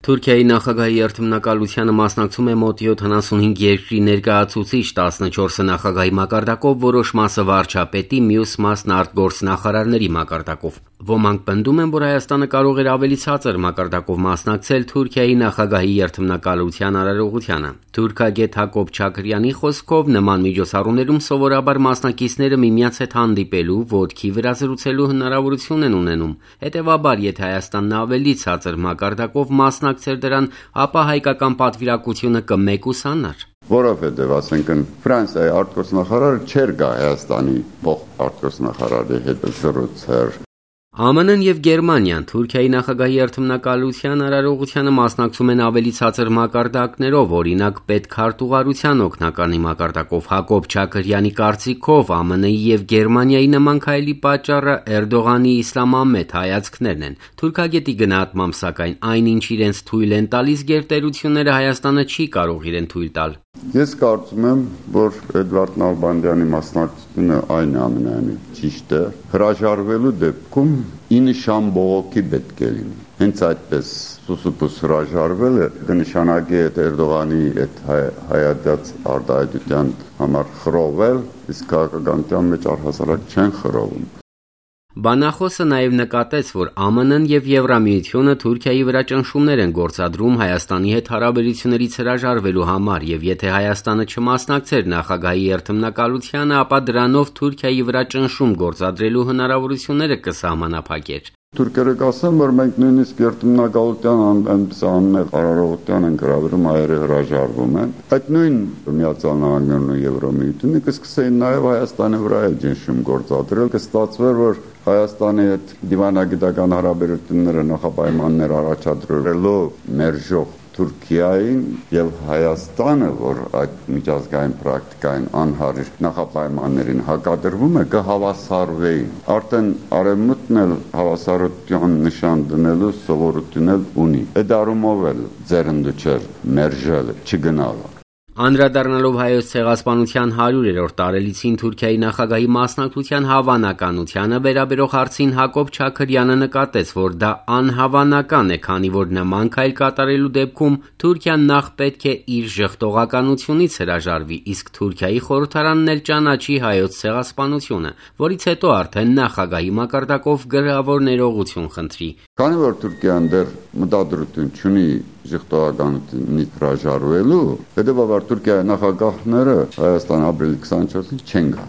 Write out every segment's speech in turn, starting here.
Թուրքիայի նախագահի երթմնակալությանը մասնակցում է մոտ 75 երկրի ներկայացուցիչ, 14-ը նախագահի մակարդակով, որոշ մասը վարչապետի, մյուս մասն արտգործնախարարների մակարդակով։ Ոմանք պնդում են, որ Հայաստանը կարող էր ավելի ցածր մակարդակով մասնակցել Թուրքիայի նախագահի երթմնակալության արարողությանը։ Թուրքագետ Հակոբ Չաքրյանի խոսքով, նման միջոցառումներում սովորաբար մասնակիցները միմյանց հետ հանդիպելու, ոտքի վրա զրուցելու հնարավորություն են ունենում։ Հետևաբար, եթե Հայաստանն ավելի ցածր մակարդակով մասնակցեր դրան, ապա հայկական պատվիրակությունը կմեկուսանար։ Որովհետև, ասենքն, Ֆրանսիայի արտգործնախարարը չէր գա Հայաստանի փոխարտգործնախարարի հետ զրուցել։ ԱՄՆ-ն և Գերմանիան Թուրքիայի նախագահի երթմնակալության արարողությանը մասնակցում են ավելի ցածր մակարդակներով, օրինակ պետքարտուղարության օգնականի մակարդակով։ Հակոբ Չաքրյանի կարծիքով, ԱՄՆ-ի և Գերմանիայի նման քայլի պատճառը Էրդողանի իսլամամետ հայացքներն են։ Թուրքագետի գնահատմամբ, սակայն, այնինչ իրենց թույլ են տալիս գերտերությունները, Հայաստանը չի կարող իրեն թույլ տալ։ Ես կարծում եմ, որ Էդվարդ Նալբանդյանի մասնակցությունը այն ամենայնիվ ճիշտ է, հրաժարվելու դեպքում 9 շան բողոքի պետք է լինի։ Հենց այդպես սուսուփուս հրաժարվելը կնշանակի այդ Էրդողանի այդ հայադաց արտահայտության համար խռովել, իսկ քաղաքականության մեջ առհասարակ չեն խռովում։ Բանախոսը նաև նկատեց, որ ԱՄՆ-ն և Եվրամիությունը Թուրքիայի վրա ճնշումներ են գործադրում Հայաստանի հետ հարաբերություններից հրաժարվելու համար, և եթե Հայաստանը չմասնակցեր նախագահի երթմնակալությանը, ապա դրանով Թուրքիայի վրա ճնշում գործադրելու հնարավորությունները կսահմանափակեր։ Թուրքերը կասեն, որ մենք նույնիսկ երթմնակալության անմեղ արարողության են գրավում, հայերը հրաժարվում են։ Այդ նույն Միացյալ Նահանգներն ու Եվրամիությունը կսկսեին նաև Հայաստանի վրա էլ ճնշում գործադրել, կստացվեր, որ Հայաստանի հետ դիվանագիտական հարաբերությունները նախապայմաններ առաջադրելով մերժող Թուրքիային եւ Հայաստանը, որ այդ միջազգային պրակտիկային անհարիր նախապայմաններին հակադրվում է, կհավասարվեին։ Արդեն Արևմուտքն էլ հավասարության նշան դնելու սովորություն ունի։ Այդ առումով էլ ձեռնտու չէր մերժել, չգնալ։ Անդրադառնալով Հայոց ցեղասպանության 100-րդ տարելիցին Թուրքիայի նախագահի մասնակցության հավանականությանը վերաբերող հարցին Հակոբ Չաքրյանը նկատեց, որ դա անհավանական է, քանի որ նման քայլ կատարելու դեպքում Թուրքիան նախ պետք է իր ժխտողականությունից հրաժարվի, իսկ Թուրքիայի խորհրդարանն էլ ճանաչի Հայոց ցեղասպանությունը, որից հետո արդեն նախագահի մակարդակով գրավոր ներողություն խնդրի։ Քանի որ Թուրքիան դեռ մտադրություն չունի ժխտողականությունից հրաժարվելու, հետևաբար Թուրքիայի նախագահները Հայաստան ապրիլի 24-ին չեն գա։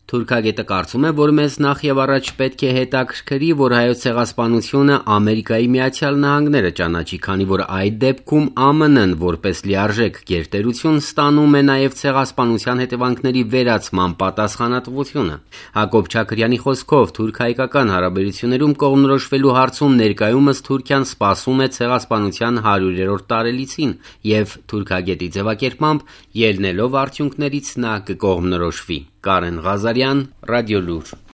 Թուրքագետը կարծում է, որ մեզ նախ եւ առաջ պետք է հետաքրքրի, որ Հայոց ցեղասպանությունը Ամերիկայի Միացյալ Նահանգները ճանաչի, քանի որ այդ դեպքում ԱՄՆ-ն որպես լիարժեք գերտերություն ստանում է նաեւ ցեղասպանության հետևանքների վերացման պատասխանատվությունը։ Հակոբ Չաքրյանի խոսքով, թուրք-հայկական հարաբերություններում կողմնորոշվելու հարցում ներկայումս Թուրքիան սպասում է ցեղասպանության 100-րդ տարելիցին, եւ թուրքագետի ձևակերպմամբ, ելնելով արդյունքներից նա կկողմնորոշվի։ Կարեն Ղազարյան, Ռադիոլուր։